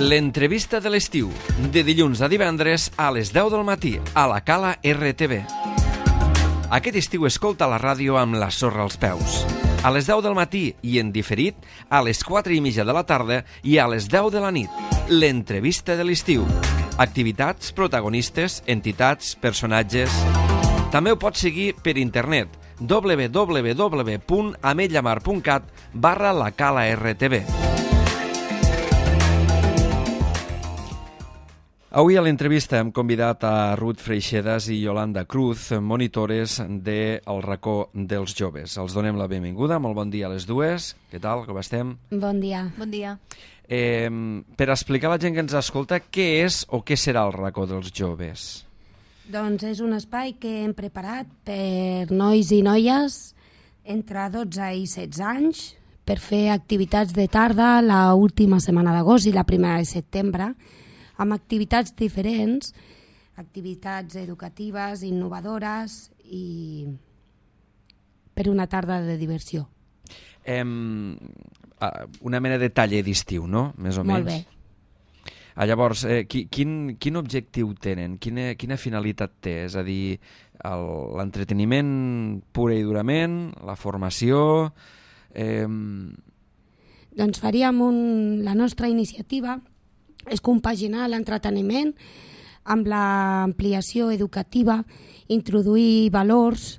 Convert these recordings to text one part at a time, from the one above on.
L'entrevista de l'estiu, de dilluns a divendres a les 10 del matí, a la Cala RTV. Aquest estiu escolta la ràdio amb la sorra als peus. A les 10 del matí i en diferit, a les 4:30 de la tarda i a les 10 de la nit. L'entrevista de l'estiu. Activitats, protagonistes, entitats, personatges... També ho pots seguir per internet www.ametlamar.cat/lacala-rtv. Avui a l'entrevista hem convidat a Ruth Freixedas i Yolanda Cruz, monitores del racó dels joves. Els donem la benvinguda, molt bon dia a les dues. Què tal, com estem? Bon dia. Bon dia. Per explicar a la gent que ens escolta què és o què serà el racó dels joves. Doncs és un espai que hem preparat per nois i noies entre 12 i 16 anys per fer activitats de tarda l'última setmana d'agost i la primera de setembre, amb activitats diferents, activitats educatives, innovadores i per una tarda de diversió. Una mena de taller d'estiu, no? Més o menys. Molt bé. Llavors, quin objectiu tenen? Quina finalitat té? És a dir, l'entreteniment pura i durament, la formació... Doncs faríem la nostra iniciativa és compaginar l'entreteniment amb l'ampliació educativa, introduir valors,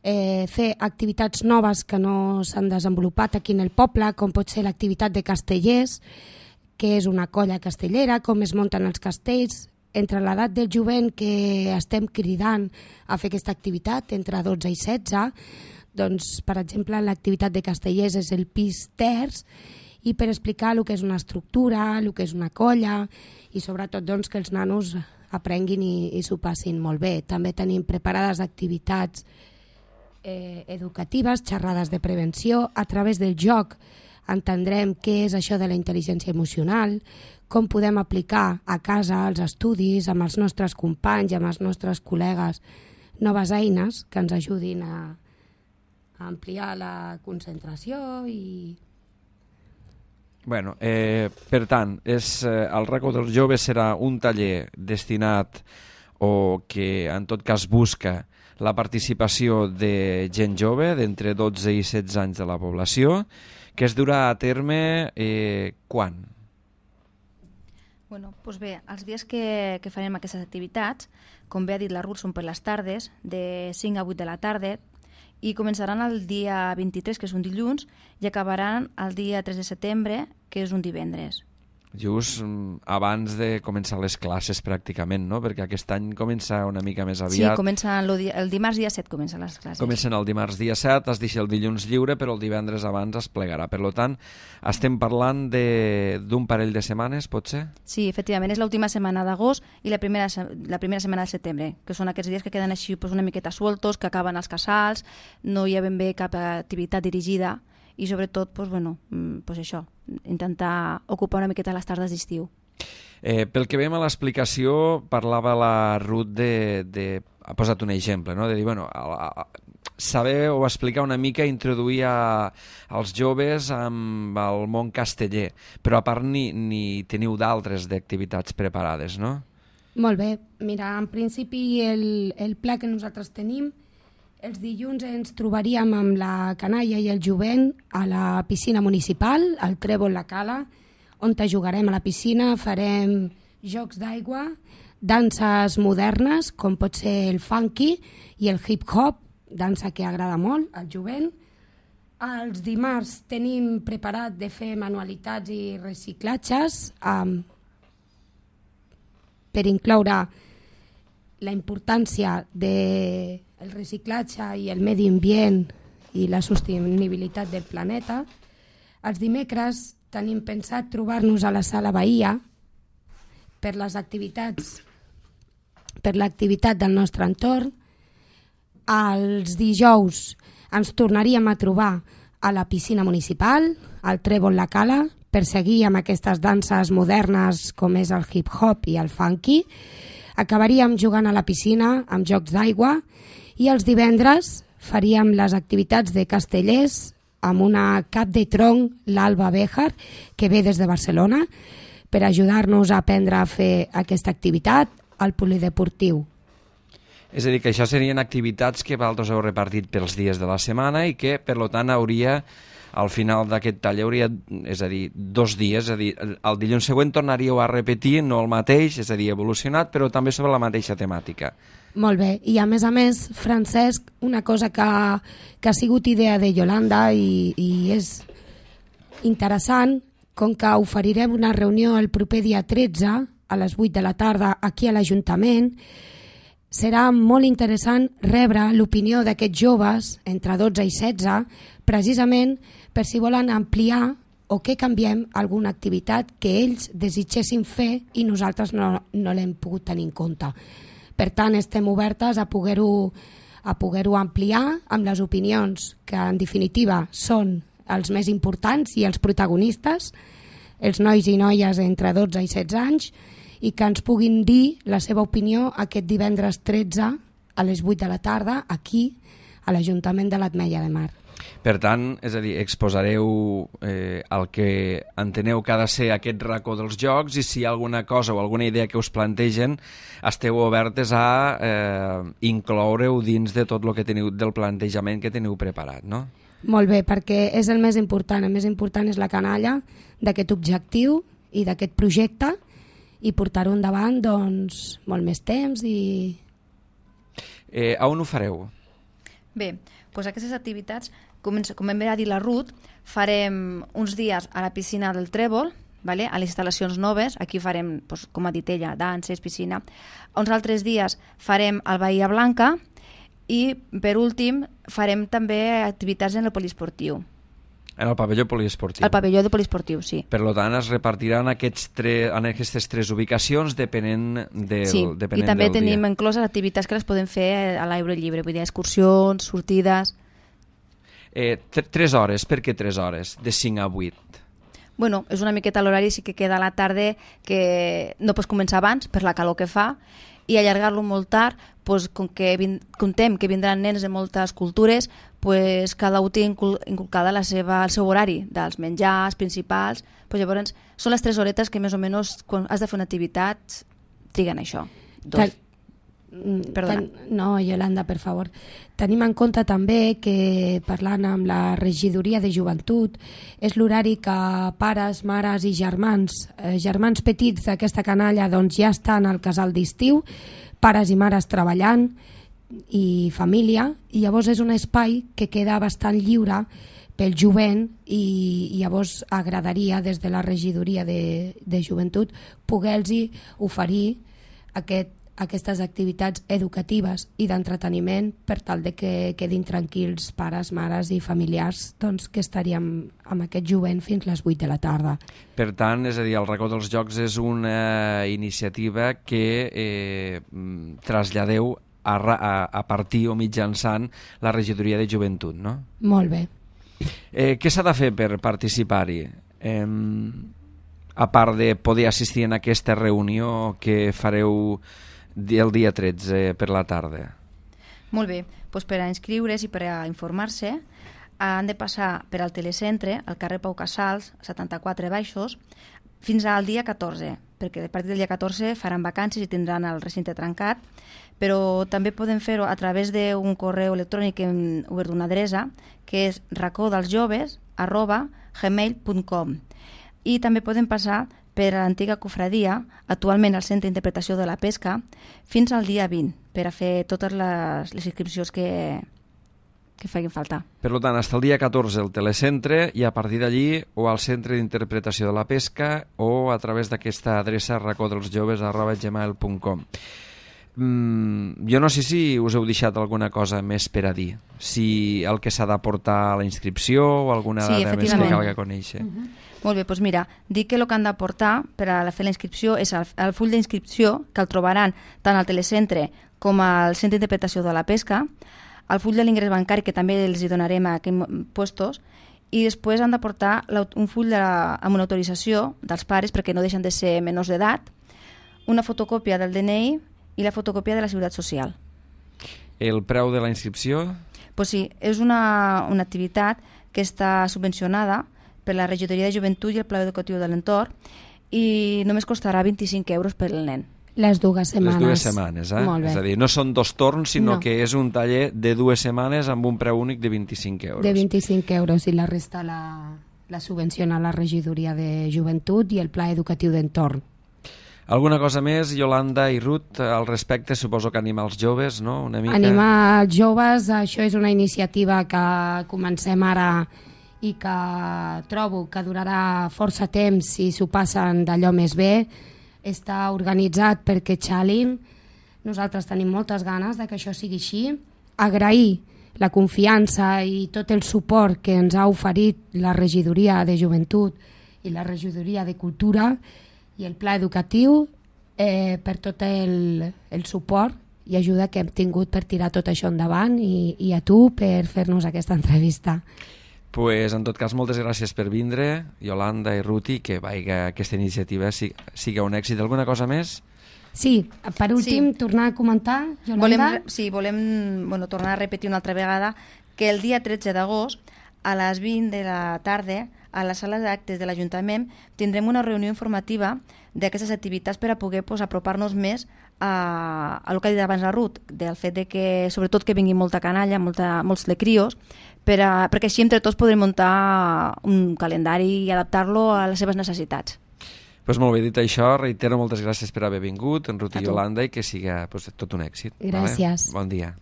fer activitats noves que no s'han desenvolupat aquí en el poble, com pot ser l'activitat de castellers, que és una colla castellera, com es munten els castells, entre l'edat del jovent que estem cridant a fer aquesta activitat, entre 12 i 16, doncs, per exemple, l'activitat de castellers és el pis terç, i per explicar el que és una estructura, el que és una colla, i sobretot doncs, que els nanos aprenguin i s'ho passin molt bé. També tenim preparades activitats educatives, xerrades de prevenció. A través del joc entendrem què és això de la intel·ligència emocional, com podem aplicar a casa, als estudis, amb els nostres companys, amb els nostres col·legues, noves eines que ens ajudin a ampliar la concentració i... Bueno, per tant, el racó dels joves serà un taller destinat o que en tot cas busca la participació de gent jove d'entre 12 i 16 anys de la població, que es durà a terme quan? Bueno, doncs bé, els dies que farem aquestes activitats, com bé ha dit la Ruth, són per les tardes, de 5 a 8 de la tarda, i començaran el dia 23, que és un dilluns, i acabaran el dia 3 de setembre, que és un divendres. Just abans de començar les classes, pràcticament, no? Perquè aquest any comença una mica més aviat. Sí, comença el dimarts dia 7 comencen les classes. Comencen el dimarts dia 7, es deixa el dilluns lliure, però el divendres abans es plegarà. Per tant, estem parlant d'un parell de setmanes, pot ser? Sí, efectivament, és l'última setmana d'agost i la primera setmana de setembre, que són aquests dies que queden així una miqueta sueltos, que acaben els casals, no hi ha ben bé cap activitat dirigida, i sobretot, això, intentar ocupar una miqueta les tardes d'estiu. Pel que veiem a l'explicació, parlava la Ruth ha posat un exemple, no? De dir, saber o explicar una mica, introduir als joves amb el món casteller, però a part ni teniu d'altres d'activitats preparades, no? Molt bé. Mira, en principi el pla que nosaltres tenim, els dilluns ens trobaríem amb la canalla i el jovent a la piscina municipal, al Trèvol La Cala, on jugarem a la piscina, farem jocs d'aigua, danses modernes, com pot ser el funky i el hip-hop, dansa que agrada molt al jovent. Els dimarts tenim preparat de fer manualitats i reciclatges per incloure la importància del reciclatge i el medi ambient i la sostenibilitat del planeta. Els dimecres tenim pensat trobar-nos a la Sala Bahia per l'activitat del nostre entorn. Els dijous ens tornaríem a trobar a la piscina municipal, al Trèvol La Cala, per seguir amb aquestes danses modernes com és el hip-hop i el funky. Acabaríem jugant a la piscina amb jocs d'aigua i els divendres faríem les activitats de castellers amb una cap de tronc, l'Alba Béjar, que ve des de Barcelona, per ajudar-nos a aprendre a fer aquesta activitat al polideportiu. És a dir, que això serien activitats que vosaltres heu repartit pels dies de la setmana i que, per tant, al final d'aquest taller hauria, és a dir, 2 dies, és a dir, el dilluns següent tornaríeu a repetir, no el mateix, és a dir, evolucionat, però també sobre la mateixa temàtica. Molt bé, i a més, Francesc, una cosa que ha sigut idea de Yolanda i és interessant, com que oferirem una reunió el proper dia 13 a les 8 de la tarda aquí a l'Ajuntament, serà molt interessant rebre l'opinió d'aquests joves entre 12 i 16, precisament per si volen ampliar o que canviem alguna activitat que ells desitgessin fer i nosaltres no l'hem pogut tenir en compte. Per tant, estem obertes a poder-ho ampliar amb les opinions que, en definitiva, són els més importants i els protagonistes, els nois i noies entre 12 i 16 anys, i que ens puguin dir la seva opinió aquest divendres 13 a les 8 de la tarda aquí a l'Ajuntament de l'Ametlla de Mar. Per tant, és a dir, exposareu el que enteneu que ha de ser aquest racó dels jocs, i si hi ha alguna cosa o alguna idea que us plantegen, esteu obertes a incloure-ho dins de tot el que teniu, del plantejament que teniu preparat, no? Molt bé, perquè és el més important. El més important és la canalla d'aquest objectiu i d'aquest projecte, i portar-ho endavant, doncs, molt més temps i... A on ho fareu? Bé, doncs aquestes activitats, com hem de dir la Ruth, farem uns dies a la piscina del Trèvol, vale? A les instal·lacions noves, aquí farem, doncs, com ha dit ella, danses, piscina. Uns altres dies farem al Bahia Blanca i, per últim, farem també activitats en el poliesportiu. En el pavelló poliesportiu. El pavelló de poliesportiu, sí. Per tant, es repartiran en aquestes 3 ubicacions depenent del sí, dia. I també tenim incloses activitats que les podem fer a l'aire lliure, vull dir, excursions, sortides... 3 hores, per què 3 hores? De 5 a 8? Bueno, és una miqueta l'horari, sí que queda a la tarda, que no pots començar abans per la calor que fa, i allargar-lo molt tard, doncs, com que contem que vindran nens de moltes cultures, doncs, cada un té inculcada el seu horari dels menjars principals, doncs, llavors són les 3 horetes que més o menys quan has de fer una activitat triguen això. Perdona. No, Yolanda, per favor. Tenim en compte també que, parlant amb la regidoria de joventut, és l'horari que pares, mares i germans petits d'aquesta canalla, doncs, ja estan al casal d'estiu, pares i mares treballant i família, i llavors és un espai que queda bastant lliure pel jovent, i llavors agradaria des de la regidoria de joventut poder-los oferir aquestes activitats educatives i d'entreteniment per tal de que quedin tranquils pares, mares i familiars, doncs, que estaríem amb aquest jovent fins les 8 de la tarda. Per tant, és a dir, el racó dels jocs és una iniciativa que traslladeu a partir o mitjançant la regidoria de joventut, no? Molt bé. Què s'ha de fer per participar-hi? A part de poder assistir en aquesta reunió que fareu el dia 13 per la tarda. Molt bé, doncs per a inscriure's i per a informar-se han de passar per al telecentre, al carrer Pau Casals, 74 baixos, fins al dia 14, perquè a partir del dia 14 faran vacances i tindran el recinte trencat, però també poden fer-ho a través d'un correu electrònic que hem obert una adreça, que és racodelsjoves@gmail.com, i també poden passar per a l'antiga cofradia, actualment al Centre d'Interpretació de la Pesca, fins al dia 20, per a fer totes les inscripcions que facin falta. Per tant, fins el dia 14 el telecentre, i a partir d'allí o al Centre d'Interpretació de la Pesca o a través d'aquesta adreça racodelsjoves@gmail.com. Jo no sé si us heu deixat alguna cosa més per a dir, si el que s'ha d'aportar a la inscripció o alguna dada més que calgui conèixer. Molt bé, doncs mira, dic que el que han d'aportar per a fer la inscripció és el full d'inscripció, que el trobaran tant al telecentre com al Centre d'Interpretació de la Pesca, el full de l'ingrés bancari, que també els hi donarem a aquests puestos, i després han d'aportar un full amb una autorització dels pares, perquè no deixen de ser menors d'edat, una fotocòpia del DNI i la fotocòpia de la Seguretat Social. El preu de la inscripció? Pues sí, és una activitat que està subvencionada per la Regidoria de Joventut i el Pla Educatiu de l'Entorn, i només costarà 25 euros per al nen. Les 2 setmanes. Les 2 setmanes, Molt bé. És a dir, no són 2 torns, sinó No. que és un taller de 2 setmanes amb un preu únic de 25 euros. De 25 euros i la resta la subvenciona la regidoria de joventut i el pla educatiu d'entorn. Alguna cosa més, Yolanda i Ruth, al respecte? Suposo que animar els joves, no? Una mica... Animar els joves, això és una iniciativa que comencem ara i que trobo que durarà força temps si s'ho passen d'allò més bé. Està organitzat perquè xalin. Nosaltres tenim moltes ganes de que això sigui així. Agrair la confiança i tot el suport que ens ha oferit la regidoria de joventut i la regidoria de cultura i el pla educatiu per tot el suport i ajuda que hem tingut per tirar tot això endavant i a tu per fer-nos aquesta entrevista. Pues, en tot cas, moltes gràcies per vindre, Yolanda i Ruti, que aquesta iniciativa sigui un èxit. Alguna cosa més? Sí, per últim, tornar a comentar, Yolanda. Volem tornar a repetir una altra vegada que el dia 13 d'agost, a les 20 de la tarda, a la sala d'actes de l'Ajuntament, tindrem una reunió informativa d'aquestes activitats per a poder apropar-nos més a el que ha dit abans la Ruth, del fet de que, sobretot, que vingui molta canalla, molts de crios, perquè així entre tots podrem muntar un calendari i adaptar-lo a les seves necessitats. Pues molt bé, dit això, reitero moltes gràcies per haver vingut, en Ruth i Yolanda, i que siga tot un èxit. Gràcies. Bon dia.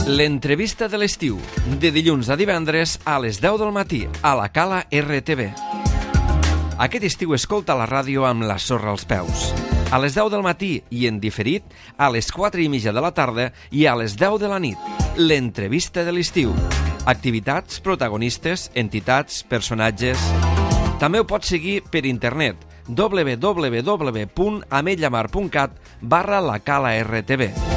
L'entrevista de l'estiu, de dilluns a divendres a les 10 del matí, a la Cala RTV. Aquest estiu escolta la ràdio amb la sorra als peus. A les 10 del matí i en diferit, a les 4:30 de la tarda i a les 10 de la nit. L'entrevista de l'estiu. Activitats, protagonistes, entitats, personatges... També ho pots seguir per internet www.ametlllamar.cat/la Cala RTV.